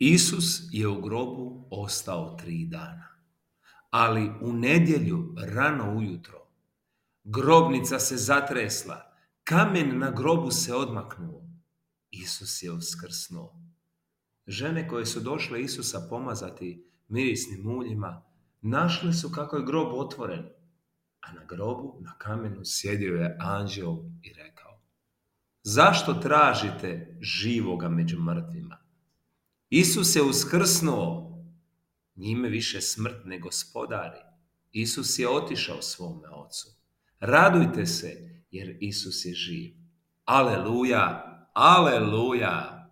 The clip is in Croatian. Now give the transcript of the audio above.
Isus je u grobu ostao 3 dana, ali u nedjelju rano ujutro grobnica se zatresla, kamen na grobu se odmaknuo. Isus je uskrsnuo. Žene koje su došle Isusa pomazati mirisnim uljima, našle su kako je grob otvoren, a na grobu, na kamenu, sjedio je anđeo i rekao: zašto tražite živoga među mrtvima? Isus je uskrsnuo, njime više smrt ne gospodari. Isus je otišao svome Ocu. Radujte se, jer Isus je živ. Aleluja, aleluja.